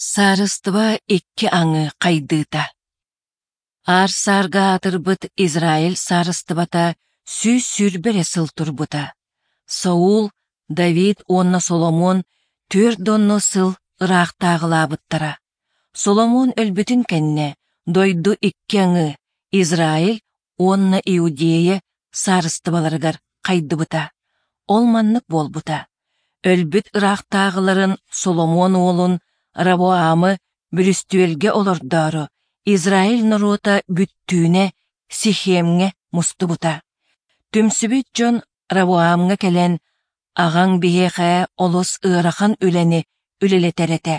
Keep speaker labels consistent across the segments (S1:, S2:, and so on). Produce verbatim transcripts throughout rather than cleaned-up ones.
S1: Саарыстыба икки аҥы хайдыыта. Аар-саарга аатырбыт Израиль саарыстыбата сүүс сүүрбэ эрэ сыл турбута. Саул, Давид уонна Соломон түөрт уонну сыл ыраахтааҕылаабыттара. Соломон өлбүтүн кэннэ дойду икки аҥы Израиль уонна Иудея саарыстыбаларыгар хайдыбыта. Ол маннык буолбута. Өлбүт ыраахтааҕыларын Соломон уолун Равоамы бүрүстүөлгэ олордоору Израиль норуота бүттүүнэ Сихемҥэ мустубута. Түмсүбүт дьон Равоамҥа кэлэн, «Аҕаҥ биһиэхэ олус ыарахан үлэни үлэлэтэр этэ.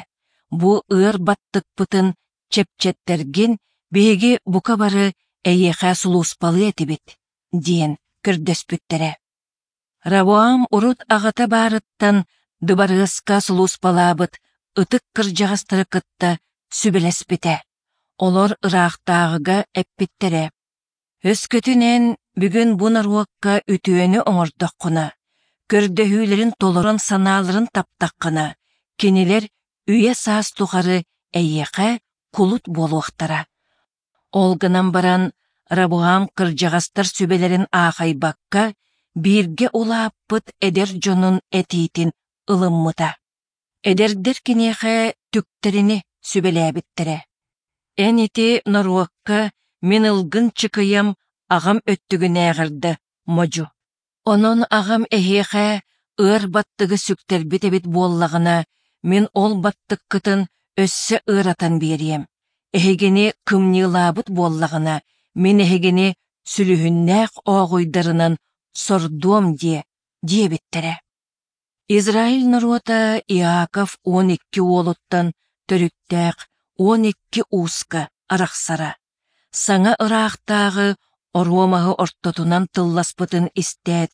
S1: Бу ыар баттыкпытын чэпчэттэргин биһиги бука бары эйиэхэ сулууспалыа этибит», диэн көрдөспүттэрэ. Равоам урут аҕата баарыттан дыбарыаска сулууспалаабыт ытык кырдьаҕастары кытта сүбэлэспитэ. Олор ыраахтааҕыга эппиттэрэ: «Өскөтүн эн бүгүн бу норуокка үтүөнү оҥордоххуна, көрдөһүүлэрин толорон санааларын таптаххына, кинилэр үйэ-саас тухары эйиэхэ кулут буолуохтара». Ол гынан баран Рабоам кырдьаҕастар сүбэлэрин аахайбакка, бииргэ улааппыт эдэр дьонун этиитин ылыммыта. Эдэрдэр киниэхэ түктэрини сүбэлээбиттэрэ. Эн ити норуокка мин ылгын чыкыйам аҕам өттүгүнээҕэр да модьу. Онон аҕам эһиэхэ ыар баттыгы сүктэрбит эбит буоллаҕына, мин ол баттыккытын өссө ыаратан биэриэм. Эһигини кымньыылаабыт буоллаҕына, мин эһигини сүлүһүннээх ооҕуйдарынан сордуом диэ, диэбиттэрэ. Израиль норуота Иаков уон икки уолуттан төрүттээх уон икки ууска арахсара. Саҥа ыраахтааҕы оруомаһы ортотунан тылласпытын истээт,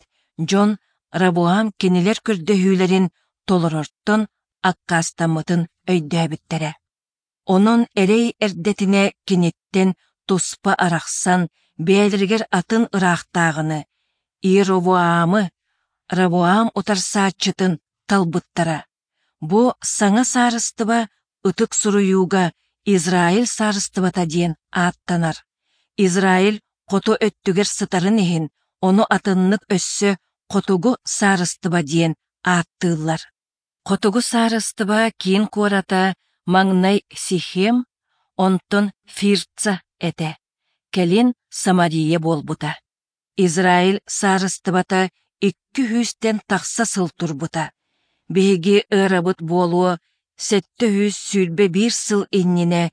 S1: дьон Рабоам кинилэр көрдөһүүлэрин толорортон аккаастаммытын өйдөөбүттэрэ. Онон эрэй эрдэтинэ киниттэн туспа арахсан, бэйэлэригэр атын ыраахтааҕыны, Иеровоамы, Равоам утарсааччытын талбыттара. Бу саҥа саарыстыба ытык суруйууга Израиль саарыстыбата диэн ааттанар. Израиль хоту өттүгэр сытарын иһин, ону атыннык өссө Хотугу саарыстыба диэн ааттыыллар. Хотугу саарыстыба киин куората маҥнай Сихем, онтон Фирца этэ, кэлин Самария буолбута. Израиль саарыстыбата икки сүүстэн тахса сыл турбута. Биһиги эрабыт буолуо сэттэ сүүс сүүрбэ биир сыл иннинэ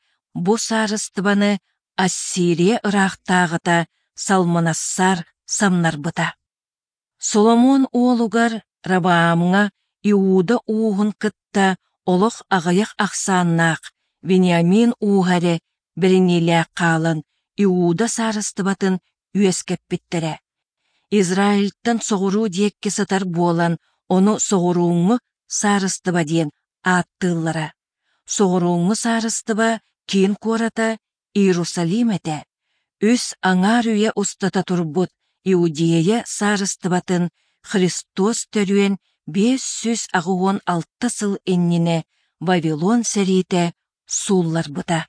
S1: бу саарыстыбаны Ассирия ыраахтааҕыта Салманассар самнарбыта. Соломон уолугар Рабаамҥа Иуда ууһун кытта олох аҕыйах ахсааннаах Вениамин ууһа эрэ бэриниилээх хаалан Иуда саарыстыбатын үөскэппиттэрэ. Израильтан соҕуруу диэки сытар буолан, ону соҕурууҥҥу саарыстыба диэн ааттыыллара. Соҕурууҥҥу саарыстыба киин куората Иерусалим этэ. Үс аҥаар үйэ устата турбут Иудея саарыстыбатын Христос төрүөн биэс сүүс аҕыс уон алта сыл иннинэ Вавилон сэриитэ суулларбыта.